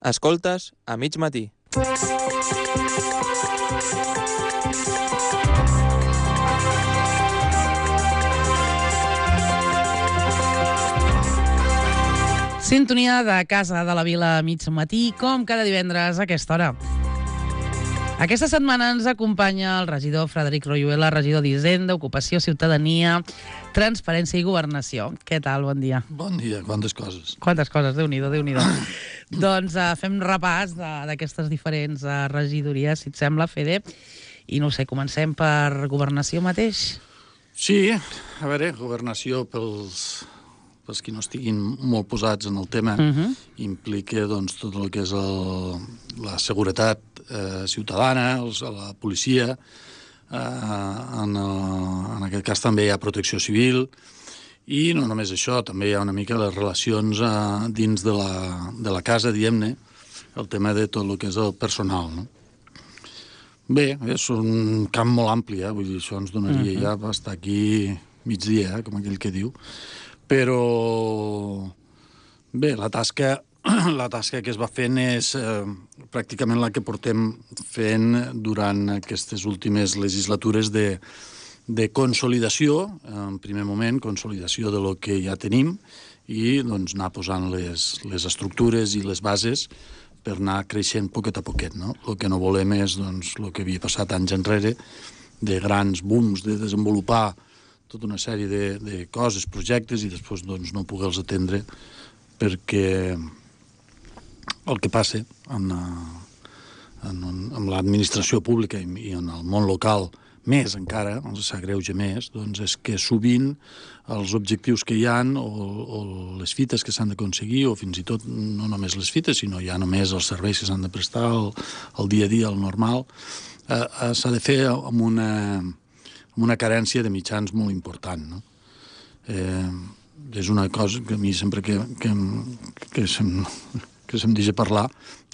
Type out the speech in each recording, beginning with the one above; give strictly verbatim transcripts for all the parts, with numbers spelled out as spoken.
Escoltes a mig matí. Sintonia de Casa de la Vila a mig matí, com cada divendres a aquesta hora. Aquesta setmana ens acompanya el regidor Frederic Royuela, regidor d'Hisenda, Ocupació, Ciutadania, Transparència i Governació. Què tal? Bon dia. Bon dia, quantes coses. Quantes coses, Déu-n'hi-do, Déu-n'hi-do. Doncs uh, fem repàs d'aquestes diferents uh, regidories, si et sembla, Fede. I no sé, comencem per Governació mateix? Sí, a veure, Governació pels... els qui no estiguin molt posats en el tema, uh-huh. implica doncs, tot el que és el, la seguretat eh, ciutadana, els, la policia, eh, en, el, en aquest cas també hi ha protecció civil, i no només això, també hi ha una mica les relacions eh, dins de la, de la casa, diguem-ne, el tema de tot el que és el personal, no? Bé, és un camp molt ampli, eh? Vull dir, això ens donaria uh-huh. ja per estar aquí migdia, eh? Com aquell que diu. Però, bé, la tasca, la tasca que es va fent és eh, pràcticament la que portem fent durant aquestes últimes legislatures de, de consolidació, en primer moment, consolidació de lo que ja tenim, i doncs, anar posant les, les estructures i les bases per anar creixent poquet a poquet, no? El que no volem és doncs, el que havia passat anys enrere, de grans booms de desenvolupar tota una sèrie de, de coses, projectes, i després doncs, no poder-los atendre perquè el que passa en, en, en l'administració pública i, i en el món local, més encara, ens s'agreuja més, doncs és que sovint els objectius que hi ha o, o les fites que s'han d'aconseguir, o fins i tot no només les fites, sinó ja només els serveis que s'han de prestar, el, el dia a dia, el normal, eh, eh, s'ha de fer amb una... amb una carència de mitjans molt important, no? Eh, és una cosa que a mi sempre que, que, que, se'm, que se'm deixa parlar,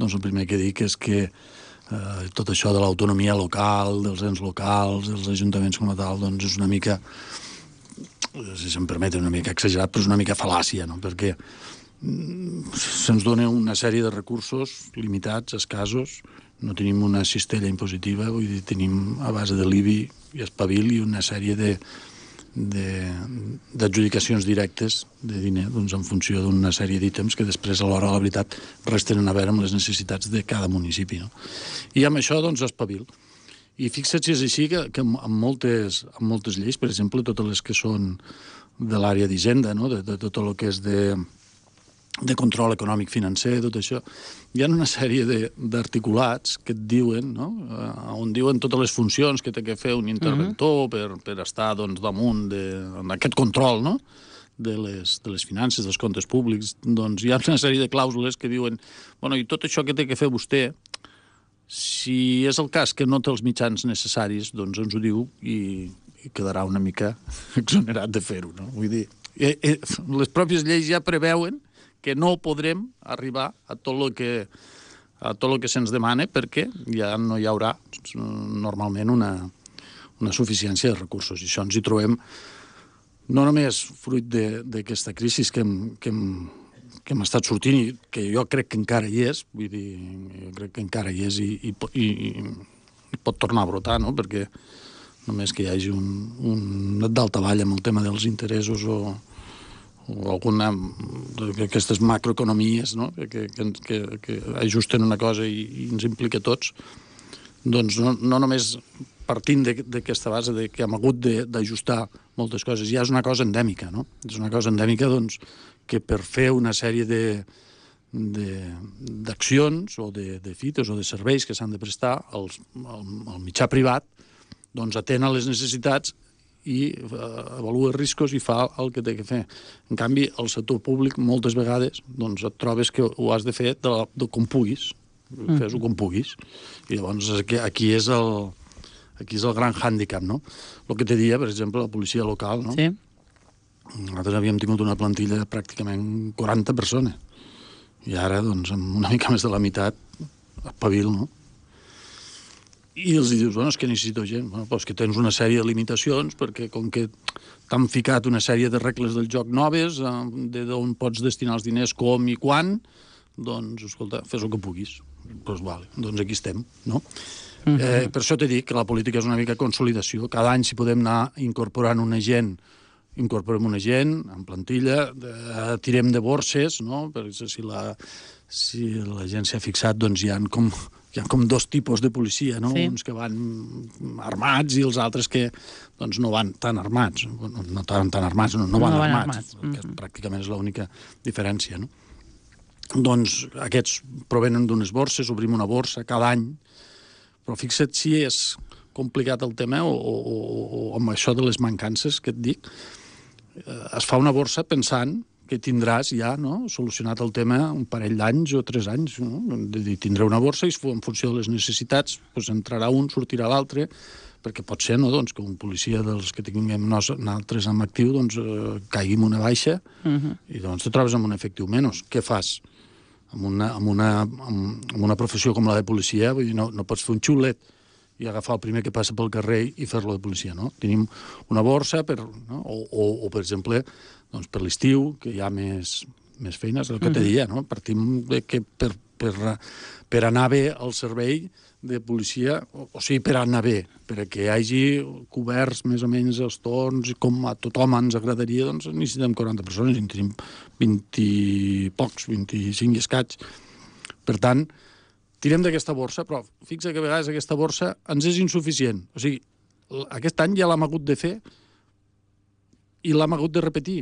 doncs el primer que dic és que eh, tot això de l'autonomia local, dels ens locals, dels ajuntaments com a tal, doncs és una mica, si se'm permet, una mica exagerat, però és una mica fal·làcia, no? Perquè se'ns dona una sèrie de recursos limitats, escassos, no tenim una cistella impositiva, vull dir, tenim a base de l'I B I i espavil i una sèrie de, de, d'adjudicacions directes de diner, doncs en funció d'una sèrie d'ítems que després, a l'hora de la veritat, res tenen a veure amb les necessitats de cada municipi, no? I amb això, doncs, espavil. I fixa't si és així que, que amb, moltes, amb moltes lleis, per exemple, totes les que són de l'àrea d'Hisenda, no? de, de tot el que és de... de control econòmic financer, tot això, hi ha una sèrie d'articulats que et diuen, no? Uh, on diuen totes les funcions que té que fer un interventor uh-huh. per, per estar doncs, damunt d'aquest control, no? de, les, de les finances, dels comptes públics. Doncs hi ha una sèrie de clàusules que diuen, bueno, i tot això que té que fer vostè, si és el cas que no té els mitjans necessaris, doncs ens ho diu i, i quedarà una mica exonerat de fer-ho, no? Vull dir, eh, eh, les pròpies lleis ja preveuen que no podrem arribar a tot el que, a tot el que se'ns demana perquè ja no hi haurà normalment una, una suficiència de recursos. I això ens hi trobem no només fruit d'aquesta crisi que hem, que, hem, que hem estat sortint i que jo crec que encara hi és, vull dir, jo crec que encara hi és i, i, i, i pot tornar a brotar, no? Perquè només que hi hagi un, un daltavall amb el tema dels interessos o o alguna d'aquestes macroeconomies, no? que, que, que, que ajusten una cosa i, i ens implica a tots, doncs no, no només partint d'aquesta base de que hem hagut d'ajustar moltes coses, ja és una cosa endèmica, no? És una cosa endèmica doncs, que per fer una sèrie de d'accions o de, de fites o de serveis que s'han de prestar, el, el, el mitjà privat doncs atén a les necessitats i avalua riscos i fa el que té que fer. En canvi, el sector públic, moltes vegades, doncs et trobes que ho has de fer de, la, de com puguis, mm. fes-ho com puguis. I llavors aquí, aquí, és el, aquí és el gran hàndicap, no? El que te dia, per exemple, la policia local, no? Sí. Nosaltres havíem tingut una plantilla de pràcticament quaranta persones. I ara, doncs, amb una mica més de la meitat, espavil, no? I els dius, bueno, és que necessito gent. Bueno, doncs que tens una sèrie de limitacions, perquè com que t'han ficat una sèrie de regles del joc noves, d'on pots destinar els diners, com i quan, doncs, escolta, fes el que puguis. Doncs vale, doncs aquí estem, no? Uh-huh. Eh, per això t'he dit que la política és una mica consolidació. Cada any, si podem anar incorporant una gent, incorporem una gent en plantilla, eh, tirem de borses, no? Perquè si la, si la gent s'ha fixat, doncs hi ha com, hi ha com dos tipus de policia, no? Sí. Uns que van armats i els altres que doncs, no van tan armats. No tan, tan armats, no, no van no armats, armats. Que uh-huh. pràcticament és l'única diferència, no? Doncs aquests provenen d'unes borses, obrim una borsa cada any, però fixa't si és complicat el tema o, o, o, o amb això de les mancances que et dic, eh, es fa una borsa pensant que tindràs ja no, solucionat el tema un parell d'anys o tres anys. No? De dir, tindré una borsa i en funció de les necessitats doncs entrarà un, sortirà l'altre, perquè pot ser no, doncs, que un policia dels que tinguem nosaltres en actiu doncs, eh, caigui en una baixa uh-huh. i doncs te trobes amb un efectiu menys. Què fas? Amb una, amb, una, amb una professió com la de policia, vull dir, no, no pots fer un xulet i agafar el primer que passa pel carrer i fer-lo de policia, no? Tenim una borsa, per, no? o, o, o, per exemple, doncs per l'estiu, que hi ha més, més feines, el que te deia, no? Partim de que per, per, per anar bé al servei de policia, o, o sigui, per anar bé, perquè hi hagi coberts més o menys els torns, com a tothom ens agradaria, doncs necessitem quaranta persones, en tenim vint i pocs, vint-i-cinc i escaig. Per tant, tirem d'aquesta borsa, però fixa que a vegades aquesta borsa ens és insuficient. O sigui, aquest any ja l'hem hagut de fer i l'hem hagut de repetir.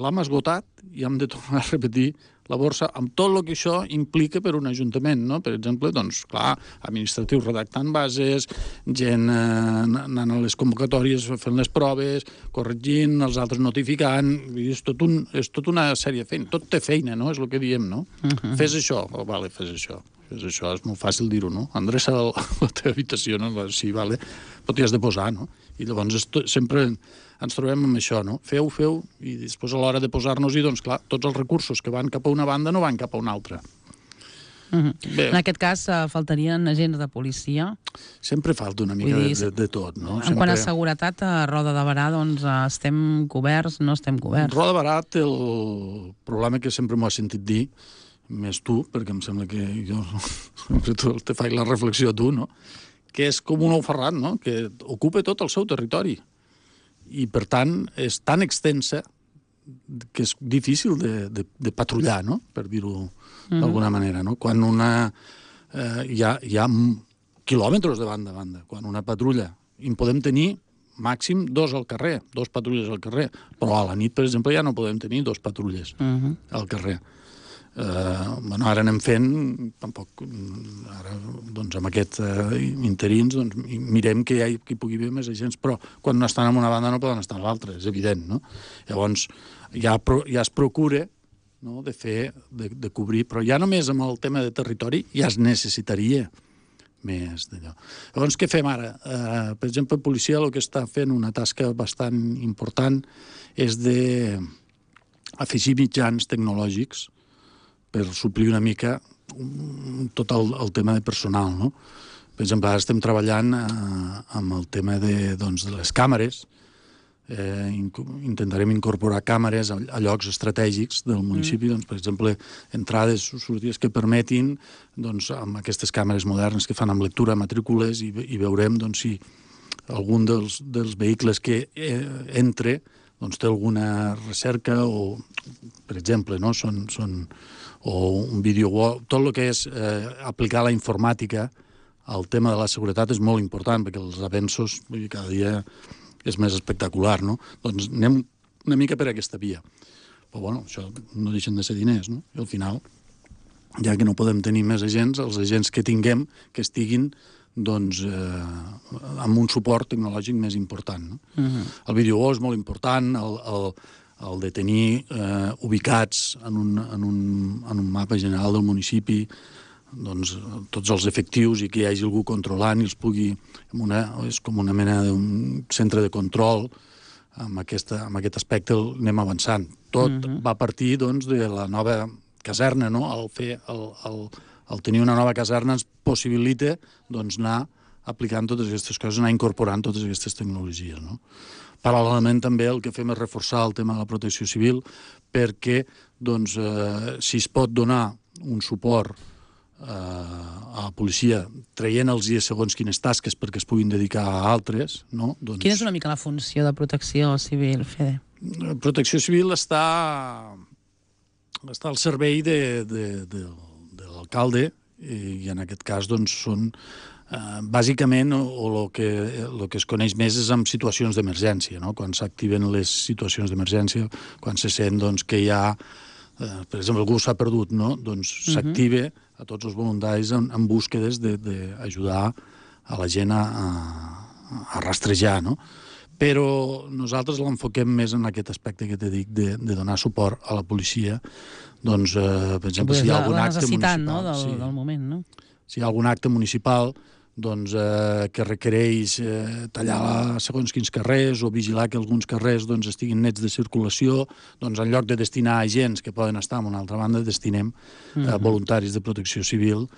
L'hem esgotat i hem de tornar a repetir la borsa amb tot el que això implica per un ajuntament, no? Per exemple, doncs, clar, administratius redactant bases, gent eh, anant a les convocatòries fent les proves, corregint, els altres notificant, és tot, un, és tot una sèrie de feina, tot té feina, no? És el que diem, no? Uh-huh. Fes això, oh, vale, fes això. Fes això, és molt fàcil dir-ho, no? Endreça la, la teva habitació, no? Sí, vale, però t'hi has de posar, no? I llavors esto, sempre ens trobem amb això, no? Feu, feu, i després a l'hora de posar-nos-hi, doncs clar, tots els recursos que van cap a una banda no van cap a una altra. Uh-huh. En aquest cas, uh, faltarien agents de policia. Sempre falta una mica dir, de, de, de tot, no? En Sempre... quant a seguretat, a Roda de Berà, doncs, uh, estem coberts, no estem coberts? Roda de Berà té el problema que sempre m'ho has sentit dir, més tu, perquè em sembla que jo sempre te faig la reflexió a tu, no? Que és com un ou ferrat, no? Que ocupa tot el seu territori. I, per tant, és tan extensa que és difícil de, de, de patrullar, no? Per dir-ho mm. d'alguna manera, no? Quan una... Eh, hi, ha, hi ha quilòmetres de banda a banda. Quan una patrulla... I en podem tenir màxim dos al carrer, dos patrulles al carrer. Però a la nit, per exemple, ja no podem tenir dos patrulles mm-hmm. al carrer. Uh, bueno, ara anem fent, tampoc, ara, doncs, amb aquests uh, interins, doncs, mirem que hi, ha, que hi pugui haver més agents, però quan no estan en una banda no poden estar en l'altra, és evident, no? Llavors, ja, ja es procura, no?, de fer, de, de cobrir, però ja només amb el tema de territori ja es necessitaria més d'allò. Llavors, què fem ara? Uh, per exemple, la policia el que està fent una tasca bastant important és de afegir mitjans tecnològics per suplir una mica tot el, el tema de personal, no? Per exemple, ara estem treballant eh, amb el tema de, doncs, de les càmeres. Eh, intentarem incorporar càmeres a, a llocs estratègics del municipi, mm. doncs, per exemple, entrades, sortides que permetin, doncs, amb aquestes càmeres modernes que fan amb lectura matrícules i, i veurem doncs, si algun dels, dels vehicles que eh, entre doncs, té alguna recerca o, per exemple, no? són... són o un vídeo, tot el que és eh, aplicar la informàtica al tema de la seguretat és molt important, perquè els avenços vull dir, cada dia és més espectacular, no? Doncs anem una mica per aquesta via. Però, bueno, això no deixen de ser diners, no? I al final, ja que no podem tenir més agents, els agents que tinguem que estiguin doncs, eh, amb un suport tecnològic més important, no? Uh-huh. El vídeo és molt important, el... el el de tenir eh, ubicats en un, en, un, en un mapa general del municipi doncs, tots els efectius i que hi hagi algú controlant i els pugui... Una, és com una mena d'un centre de control. Amb, aquesta, amb aquest aspecte anem avançant. Tot uh-huh. va partir doncs, de la nova caserna, no? El, fer, el, el, el tenir una nova caserna ens possibilita doncs, anar aplicant totes aquestes coses, anar incorporant totes aquestes tecnologies, no? Paral·lelament també el que fem és reforçar el tema de la protecció civil perquè doncs, eh, si es pot donar un suport eh, a la policia traient-los segons quines tasques perquè es puguin dedicar a altres, no? Doncs, Quina és una mica la funció de protecció civil, Fede? Protecció Civil està, està al servei de, de, de, de l'alcalde i en aquest cas doncs, són eh, bàsicament o el que, lo que es coneix més és en situacions d'emergència, no? Quan s'activen les situacions d'emergència, quan se sent doncs, que hi ha, eh, per exemple, algú s'ha perdut, no? Doncs uh -huh. s'active a tots els voluntaris en, en búsquedes d'ajudar a la gent a, a, a rastrejar, no? Però nosaltres l'enfoquem més en aquest aspecte que t'he dit de, de donar suport a la policia. Doncs, eh, per exemple, si hi ha algun acte municipal... no? del, sí, del moment, no? si hi ha algun acte municipal doncs, eh, que requereix eh, tallar segons quins carrers o vigilar que alguns carrers doncs, estiguin nets de circulació, doncs en lloc de destinar agents que poden estar en una altra banda, destinem eh, uh-huh. voluntaris de protecció civil.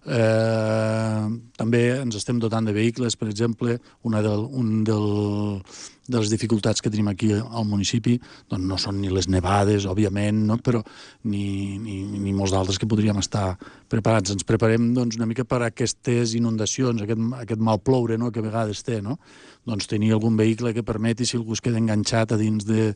Eh, també ens estem dotant de vehicles, per exemple, una del, un del, de les dificultats que tenim aquí al municipi doncs no són ni les nevades, òbviament, no? Però ni, ni, ni molts d'altres que podríem estar preparats. Ens preparem doncs, una mica per a aquestes inundacions, aquest, aquest mal ploure, no? Que a vegades té, no? Doncs tenir algun vehicle que permeti, si algú es queda enganxat a dins de,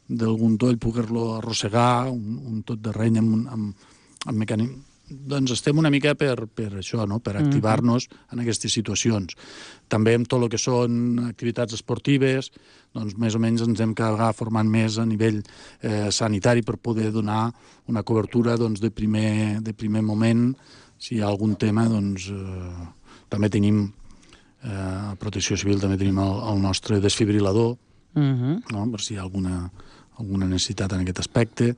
d'algun toll, poder-lo arrossegar, un, un tot de reny amb, amb, amb mecànic. Doncs estem una mica per, per això, no? Per activar-nos en aquestes situacions. També amb tot el que són activitats esportives, doncs més o menys ens hem quedat formant més a nivell eh, sanitari per poder donar una cobertura doncs, de, primer, de primer moment. Si hi ha algun tema, doncs eh, també tenim eh, a Protecció Civil, també tenim el, el nostre desfibrilador, uh-huh. no? Per si hi ha alguna, alguna necessitat en aquest aspecte.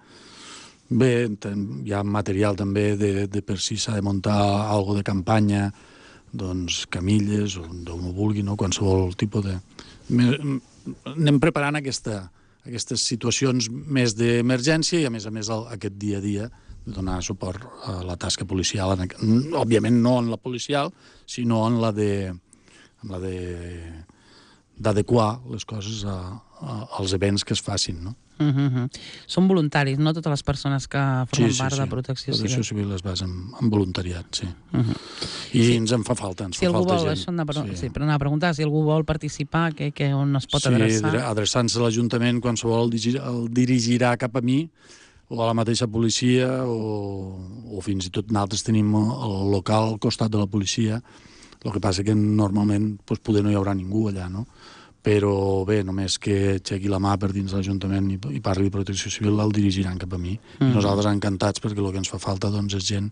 Bé, hi ha material també de, de per si s'ha de muntar alguna de campanya, doncs camilles, o d'on ho vulgui, no? Qualsevol tipus de... Anem preparant aquesta, aquestes situacions més d'emergència i, a més a més, el, aquest dia a dia de donar suport a la tasca policial. En, òbviament no en la policial, sinó en la de... En la de d'adequar les coses a, a, als events que es facin, no? Uh -huh. Són voluntaris, no? Totes les persones que formen sí, sí, part sí. de Protecció Civil. Protecció Civil es basa en, en voluntariat, sí. Uh -huh. I sí. ens en fa falta, ens si fa falta vol, gent. Això anar, sí. sí, per anar a preguntar, si algú vol participar, que, que on es pot sí, adreçar? Sí, adreçant-se a l'Ajuntament, qualsevol el, dirigirà, el dirigirà cap a mi, o a la mateixa policia, o, o fins i tot nosaltres tenim el local al costat de la policia. El que passa que normalment doncs, poder no hi haurà ningú allà, no? Però bé, només que aixequi la mà per dins l'Ajuntament i, i parli de Protecció Civil, el dirigiran cap a mi. Mm. I nosaltres encantats, perquè el que ens fa falta doncs, és gent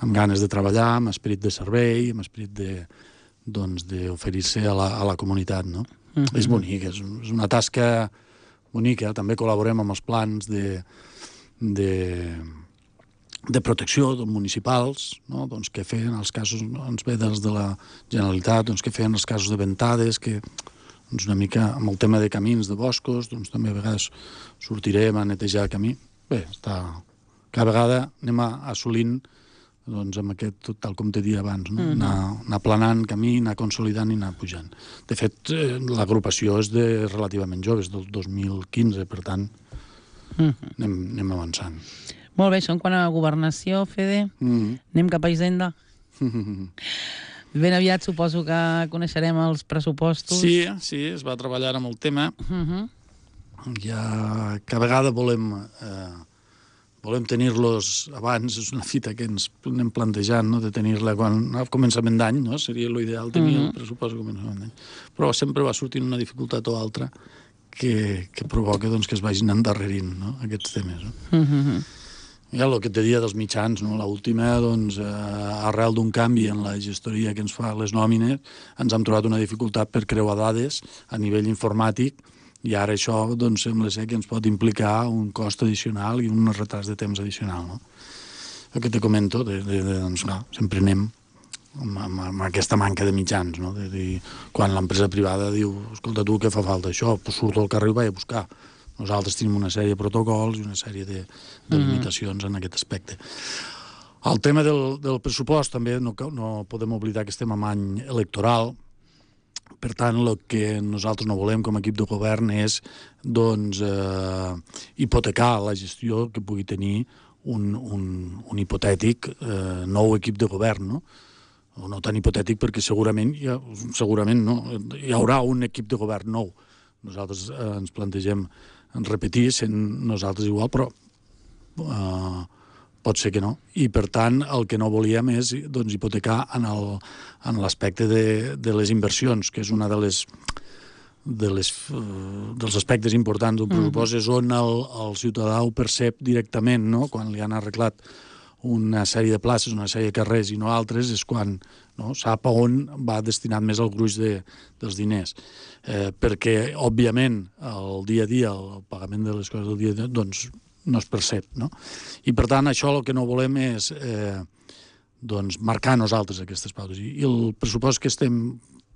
amb ganes de treballar, amb esperit de servei, amb esperit de, doncs, d'oferir-se a, la, a la comunitat, no? Mm-hmm. És bonic, és, és una tasca bonica. També col·laborem amb els plans de, de, de protecció municipals, no? Doncs, que feien els casos, ens ve dels de la Generalitat, doncs, que feien els casos de ventades, que doncs una mica amb el tema de camins, de boscos, doncs també a vegades sortirem a netejar el camí. Bé, està... Cada vegada anem assolint, doncs, amb aquest, tal com t'he dit abans, no? Mm-hmm. anar, anar planant camí, anar consolidant i anar pujant. De fet, eh, l'agrupació és de relativament joves, del dos mil quinze, per tant, mm-hmm. anem, anem avançant. Molt bé, això en quant a governació, Fede. Mm-hmm. Anem cap a Hisenda. Mm-hmm. Ben aviat suposo que coneixerem els pressupostos. Sí, sí, es va treballar amb el tema. Uh-huh. Ja cada vegada volem, eh, volem tenir-los abans, és una fita que ens anem plantejant, no? De tenir-la quan, a començament d'any, no? Seria l'ideal tenir uh-huh. el pressupost a començament d'any. Però sempre va sortint una dificultat o altra que, que provoca doncs, que es vagin endarrerint, no? Aquests temes. No? Uh-huh. Ja, el que te dia dels mitjans, no? L'última, doncs, eh, arrel d'un canvi en la gestoria que ens fa les nòmines, ens hem trobat una dificultat per creuar dades a nivell informàtic i ara això, doncs, sembla ser que ens pot implicar un cost addicional i un retard de temps addicional, no? El que te comento, de, de, de, doncs, no, sempre anem amb, amb, amb aquesta manca de mitjans, no? De, de, quan l'empresa privada diu, escolta, tu, què fa falta això? Pues surto al carrer i vaig a buscar. Nosaltres tenim una sèrie de protocols i una sèrie de, de limitacions en aquest aspecte. El tema del, del pressupost també no, no podem oblidar que estem en any electoral. Per tant, el que nosaltres no volem com a equip de govern és doncs, eh, hipotecar la gestió que pugui tenir un, un, un hipotètic eh, nou equip de govern, no? O no tan hipotètic perquè segurament, ja, segurament no, hi haurà un equip de govern nou. Nosaltres eh, ens plantegem repetir, sent nosaltres igual, però eh, pot ser que no. I, per tant, el que no volíem és doncs, hipotecar en el, en l'aspecte de, de les inversions, que és una de les, de les, uh, dels aspectes importants d'un pressupost, mm-hmm. és on el, el ciutadà ho percep directament, no? Quan li han arreglat una sèrie de places, una sèrie de carrers i no altres, és quan no, sap a on va destinat més el gruix de, dels diners. Eh, perquè, òbviament, el dia a dia, el pagament de les coses del dia a dia, doncs, no es percep, no? I, per tant, això el que no volem és eh, doncs, marcar nosaltres aquestes pautes. I, i el pressupost que estem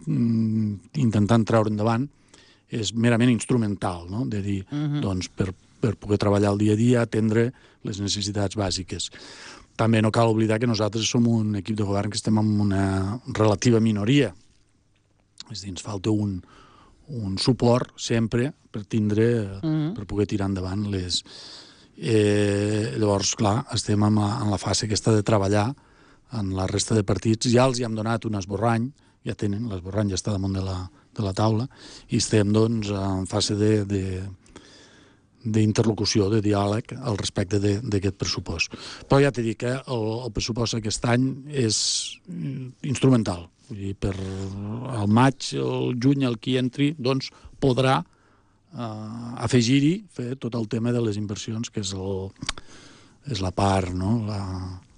mm, intentant treure endavant és merament instrumental, no? De dir, uh-huh. doncs, per, per poder treballar el dia a dia, atendre les necessitats bàsiques. També no cal oblidar que nosaltres som un equip de govern que estem en una relativa minoria. És a dir, ens falta un, un suport sempre per tindre, uh-huh. per poder tirar endavant les... Eh, llavors, clar, estem en la, en la fase aquesta de treballar en la resta de partits. Ja els hi hem donat un esborrany, ja tenen, l'esborrany ja està damunt de la, de la taula, i estem, doncs, en fase de, de, d'interlocució, de diàleg al respecte d'aquest pressupost. Però ja t'he dit que el, el pressupost aquest any és instrumental. Vull dir, per el maig, el juny, el qui entri, doncs, podrà Uh, afegir-hi, fer tot el tema de les inversions, que és, el, és la part, no? la,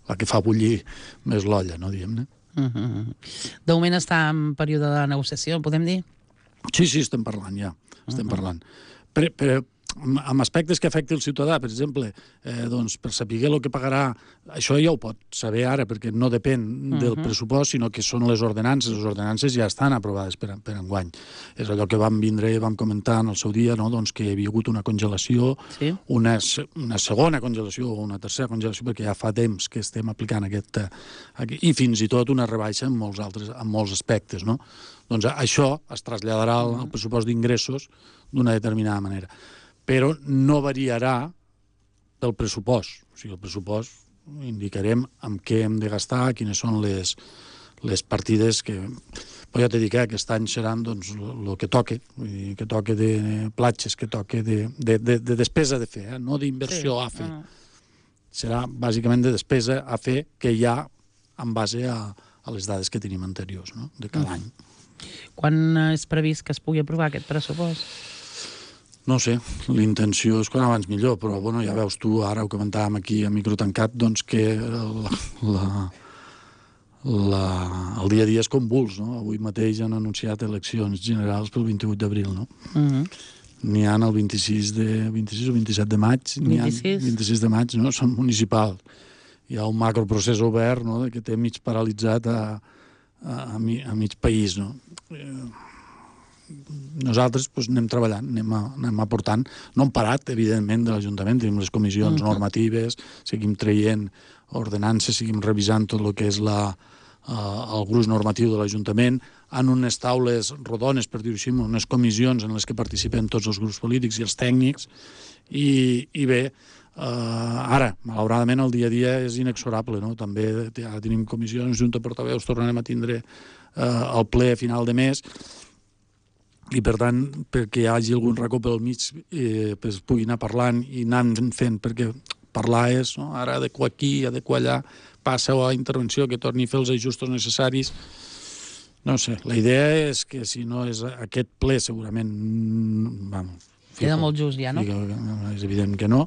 la que fa bullir més l'olla, no, diguem-ne. Uh-huh. De moment està en període de negociació, podem dir? Sí, sí, estem parlant, ja. Estem uh-huh. parlant. Per, per, amb aspectes que afecti el ciutadà, per exemple, eh, doncs, per saber el que pagarà, això ja ho pot saber ara, perquè no depèn uh-huh. del pressupost, sinó que són les ordenances. Les ordenances ja estan aprovades per, per enguany. És allò que vam vindre i vam comentar en el seu dia, no? Doncs que hi havia hagut una congelació, sí. una, una segona congelació o una tercera congelació, perquè ja fa temps que estem aplicant aquest... aquest i fins i tot una rebaixa en molts, altres, en molts aspectes, no? Doncs això es traslladarà al, al pressupost d'ingressos d'una determinada manera. Però no variarà pel pressupost. O sigui, el pressupost indicarem amb què hem de gastar, quines són les, les partides que... Però ja t'he dit que aquest any seran doncs, el que toque, vull dir, que toque de platges, que toque de, de, de, de despesa de fer, eh? No d'inversió sí. a fer. Uh-huh. Serà bàsicament de despesa a fer que hi ha en base a, a les dades que tenim anteriors, no? De cada uh-huh. any. Quan és previst que es pugui aprovar aquest pressupost? No sé, l'intenció és quan abans millor, però bueno, ja veus tu, ara ho comentàvem aquí a micro tancat, doncs que la, la, la, el dia a dia és convuls, no? Avui mateix han anunciat eleccions generals pel vint-i-vuit d'abril, no? Uh-huh. N'hi ha el vint-i-sis, de, vint-i-sis o vint-i-set de maig, n'hi ha vint-i-sis de maig, no? Són municipals. Hi ha un macroprocés obert, no?, que té mig paralitzat a, a, a, mi, a mig país, no? Nosaltres doncs, anem treballant, anem, a, anem aportant. No hem parat, evidentment, de l'Ajuntament. Tenim les comissions uh-huh. normatives, seguim traient ordenances, seguim revisant tot el que és la, uh, el gruix normatiu de l'Ajuntament, en unes taules rodones, per dir-ho així, unes comissions en les que participen tots els grups polítics i els tècnics. I, i bé, uh, ara, malauradament, el dia a dia és inexorable, no? També ja tenim comissions, junta de portaveus, tornarem a tindre uh, el ple a final de mes, i per tant, perquè hi hagi algun racó pel mig, eh, pues, es pugui anar parlant i anar fent, perquè parlar és, no? Ara adequar aquí, adequar allà, passa a intervenció, que torni a fer els ajustos necessaris. No sé, la idea és que si no és aquest ple, segurament... Vamos, queda molt just ja, no? És evident que no,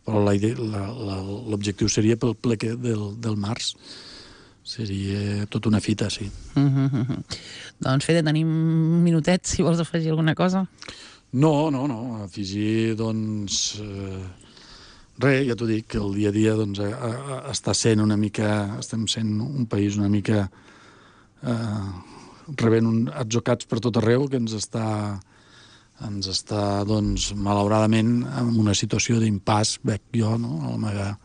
però l'objectiu seria pel ple que del, del març. Seria tota una fita, sí. Uh-huh, uh-huh. Doncs, Fede, tenim un minutet, si vols afegir alguna cosa. No, no, no. Afegir, doncs... Eh, res, ja t'ho dic, que el dia a dia doncs, a, a, està sent una mica... Estem sent un país una mica... Eh, rebent un, atzocats per tot arreu, que ens està... ens està, doncs, malauradament, en una situació d'impàs, veig jo, no?, la meva,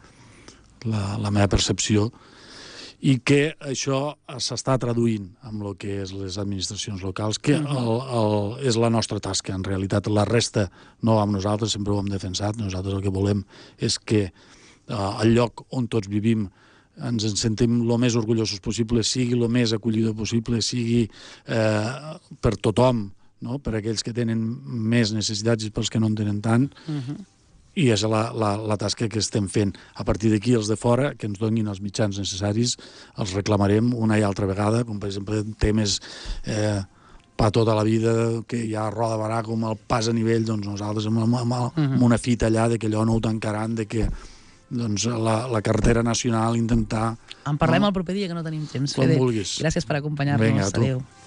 la, la meva percepció. i que això s'està traduint amb el que és les administracions locals, que el, el, és la nostra tasca. En realitat, la resta no va amb nosaltres, sempre ho hem defensat. Nosaltres el que volem és que eh, el lloc on tots vivim ens en sentim el més orgullosos possible, sigui el més acollidor possible, sigui eh, per tothom, no? Per aquells que tenen més necessitats i pels que no en tenen tant, uh-huh. I és la, la, la tasca que estem fent. A partir d'aquí, els de fora, que ens donin els mitjans necessaris, els reclamarem una i altra vegada, com per exemple temes eh, per tota la vida, que hi ha roda barà com el pas a nivell, doncs nosaltres amb, amb, amb, amb una fita allà de que allò no ho tancaran, de que doncs, la, la carretera nacional intentar... En parlem no? el proper dia, que no tenim temps. Com Fede, vulguis. gràcies per acompanyar-nos. Vinga, a tu. Adéu.